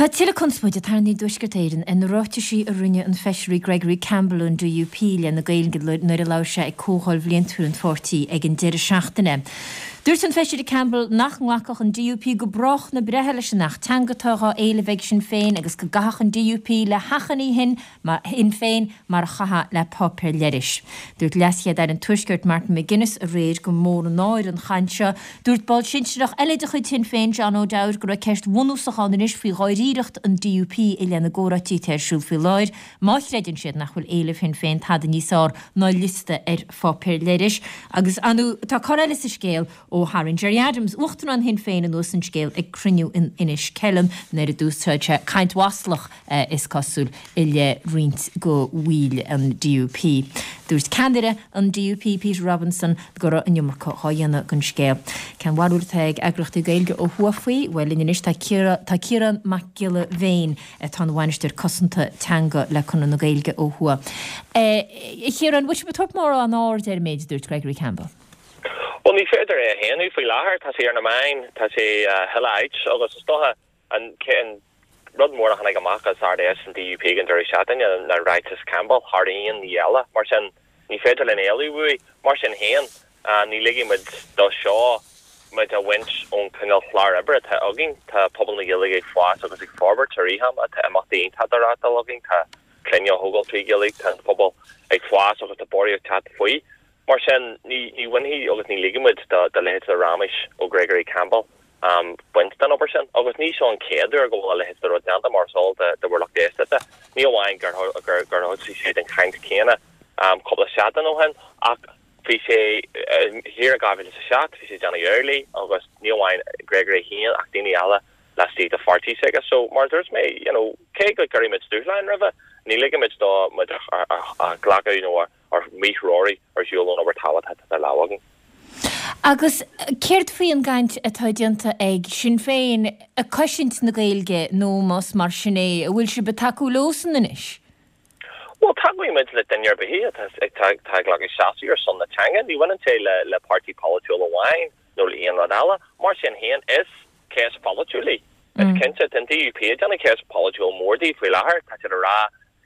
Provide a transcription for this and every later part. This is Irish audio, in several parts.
Tá tuilleadh conspóide tarraingthe i dTuaisceart Éireann ar na ráitisí a rinne an Feisire Gregory Campbell ón DUP i leith na Gaeilge nuair a labhair sé ag comhdháil bhliantúil an pháirtí ag an deireadh seachtaine. Dúirt an Feisire Campbell nach nglacfadh an DUP go brách na breithe leis an Acht Teanga atá dhá éileamh ag Sinn Féin agus go gcaithfeadh an DUP le hachainí Shinn Féin mar a chaithfeá le páipéar leithris. Dúirt LeasChéad-Aire an Tuaiscirt Martin McGuinness aréir gur mór an náire an chaint seo. Dúirt ball sinsearach eile de chuid Shinn Féin, John O'Dowd, go raibh ceist bhunúsach ann anois faoi dháiríreacht an DUP i leith na gcomhráití atá ar siúl faoi láthair, má chreideann siad nach bhfuil éilimh Shinn Féin tada níos fearr ná liosta ar pháipéar leithris. Agus, ar ndóigh, tá cor eile sa scéal ó tharraing Gerry Adams, Uachtarán Shinn Féin, anuas an scéal ag cruinniú in Inis Ceithleann nuair a d'úsáid sé caint mhaslach, is cosúil, i leith roinnt de bhaill an DUP. Dúirt ceannaire an DUP, Peter Robinson, go raibh an iomarca dhá dhéanamh den scéal. Cén bharúil atá ag eagraíochtaí Gaeilge ó thuaidh faoi? Bhuel, linn anois tá Ciarán Mac Giolla Bhéin, atá ina bhainisteoir cosanta teanga le Conradh na Gaeilge ó thuaidh. A Chiaráin, bhfuil sibh ag tabhairt mórán aird ar an méid a dúirt Gregory Campbell? Bhuel, ní féidir é a shéanadh faoi láthair. Tá sé ar na meáin, tá sé chuile áit agus is dócha an rud mór a tháinig amach as Ard-Fheis an DUP ag an deireadh seachtaine ná ráiteas Campbell thar aon ní eile. Mar sin, ní féidir linn éalú uaidh. Mar sin féin, ní ligfidh muid dó seo muid a bhaint ón cineál chlár oibre atá againn. Tá pobal na Gaeilge ag fás agus ag forbairt i rith ama. Tá imeachtaí iontacha á reáchtáil againn, tá clainne á thógáil trí Ghaeilge, tá an pobal ag fás agus tá borradh ag teacht faoi. Mar sin, ní bhainfidh agus ní ligfidh muid do leithéid de raiméis ó Gregory Campbell baint den obair sin. Agus ní seo an chéad uair go bhfuil a leithéid de rud déanta, mar is eol do bhur lucht éisteachta. Ní amháin gur thosaigh sé den chaint chéanna cúpla seachtain ó shin, ach bhí sé thiar i 2007, bhí sé ag déanamh amhlaidh agus ní amháin Gregory féin ach daoine eile laistigh de pháirtí s'aige. So, mar a dúirt mé, you know, cé go gcuirfidh muid dúshláin roimhe, ní ligfidh muid dó muid a ghlacadh nó a a mhíthreorú ar shiúl ón obair tábhachtach atá idir lámha againn. Agus céard faoi an gcaint atá déanta ag Sinn Féin ag cosaint na Gaeilge nó más mar sin é, an bhfuil sibh ag tacú leosan anois? Bhuel, tacóidh muid le duine ar bith atá ag glacadh seasamh ar son na teanga. Ní bhaineann sé le páirtí polaitiúil amháin nó le aon rud eile. Mar sin féin, is ceist pholaitiúil í. Is cinnte, tá an DUP ag déanamh ceist pholaitiúil mór di faoi láthair. Tá siad ag rá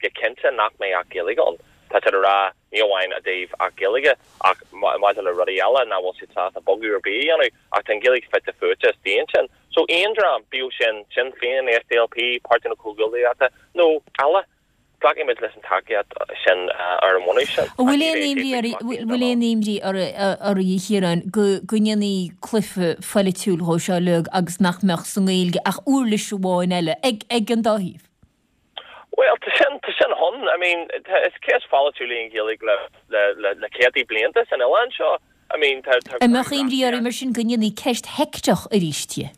go cinnte nach mbeidh Acht Gaeilge ann. Tá siad ag rá, ní amháin i dtaobh Acht Gaeilge, ach maidir le rudaí eile, nach bhfuil siad sásta bogadh ar bith a dhéanamh, ach tá an Ghaeilge fite fuaite istigh ansin. So aon dream, bíodh sin Sinn Féin, SDLP, Páirtí na Comhghuaillíochta, nó eile, glacfaidh muid leis an tacaíocht sin ar an mbunús sin. An bhfuil aon imní oraibh, bhfuil aon imní oraibh, a Chiaráin, go ndéanfaí cluiche phoilitiúil dhó seo uilig agus nach mbeadh sa nGaeilge ach uirlis amháin eile ag an dá thaobh? Bhuel, tá sin, tá sin ann. I mean, tá, is ceist pholaitiúil í an Ghaeilge le, le, le, le céadtaí blianta san oileán seo. I mean, tá, tá An mbeadh imní oraibh mar sin go ndéanfaí ceist sheicteach arís di?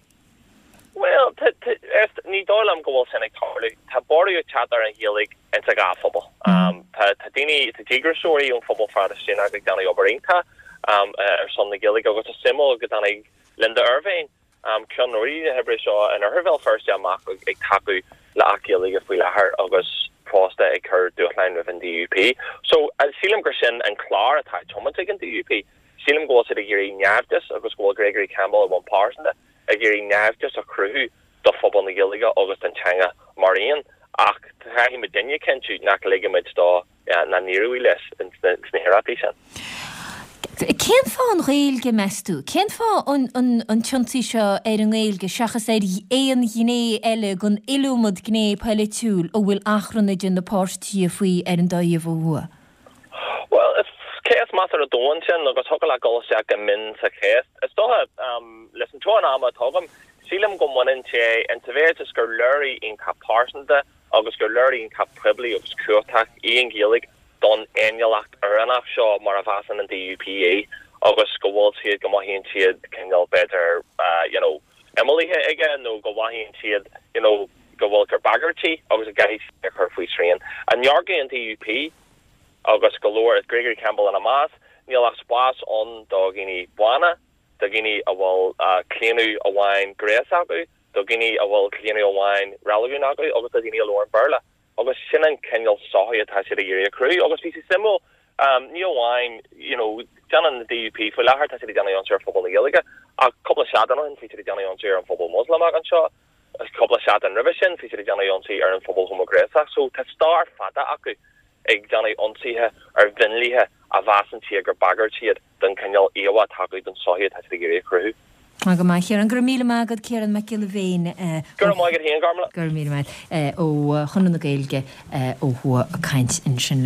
Bhuel, tá, tá, is, ní dóigh liom go bhfuil sin ag tarlú. Tá borradh ag teacht ar an Ghaeilge insa dhá phobal. Tá, tá daoine, tá díograiseoirí ón phobal Phraitistíneach ag déanamh obair iontach ar son na Gaeilge agus is suimiúil go dtáinig Linda Ervine, Ceannródaí na hoibre seo in Oirthear Bhéal Feirste amach ag tacú le Acht Gaeilge faoi láthair agus fosta ag cur dúshláin roimh an DUP. So, sílim gur sin an clár atá á tiomáint ag an DUP. Sílim go bhfuil siad ag iarraidh naimhdeas agus go bhfuil Gregory Campbell ar bhonn pearsanta ag iarraidh naimhdeas a chruthú do phobal na Gaeilge agus don teanga mar aon. Ach caithfidh muidinne cinntiú nach ligfidh muid dó nach n-éireoidh leis sna hiarrachtaí sin. Cén fáth an Ghaeilge, meas tú? Cén fáth an t-ionsaí seo ar an nGaeilge seachas ar aon ghné eile den iliomad gné polaitiúil a bhfuil achrann idir na páirtithe faoi ar an dá thaobh ó thuaidh? Bhuel, is ceist measartha domhain sin agus thiocfadh leat dul isteach go mion sa cheist. Is dócha, leis an teorainn ama atá agam, sílim go mbaineann sé in sa mhéid is gur léiriú iontach pearsanta agus gur léiriú iontach poiblí agus cumhachtach í an Ghaeilge don fhéiniúlacht Éireannach seo mar a mheasann an DUP í agus go bhfuil siad, go mothaíonn siad cineál b'fhéidir you know imeallaithe aige nó go mothaíonn siad you know go bhfuil gur bagairt í agus go gcaithfidh siad a chur faoi srian. I ndearcadh an DUP agus go leor, Gregory Campbell ina measc, níl ach spás ann do dhaoine bána, do dhaoine a bhfuil claonadh amháin gnéis acu, do dhaoine a bhfuil claonadh amháin reiligiúin acu agus do dhaoine a labhrann Béarla. Agus sin an cineál sochaí atá siad ag iarraidh a chruthú. Agus bhí sé suimiúil, ní amháin, you know, déanann an DUP faoi láthair, tá siad ag déanamh ionsaí ar phobal na Gaeilge, ach cúpla seachtain ó shin bhí siad ag déanamh ionsaí ar an phobal Moslamach anseo. Cúpla seachtain roimhe sin, bhí siad ag déanamh ionsaí ar an phobal homaighnéasach. So tá stair fada acu ag déanamh ionsaithe ar mhionlaithe a mheasann siad gur bagairt iad don chineál íomhá atá acu don sochaí atá siad ag iarraidh a chruthú. Go maith, a Chiaráin. Go raibh míle maith agat, Ciarán Mac Giolla Bhéin. Go raibh maith agat féin, Gormlaith. Go raibh míle maith. Ó Chonradh na Gaeilge ó thuaidh ag caint ansin linn.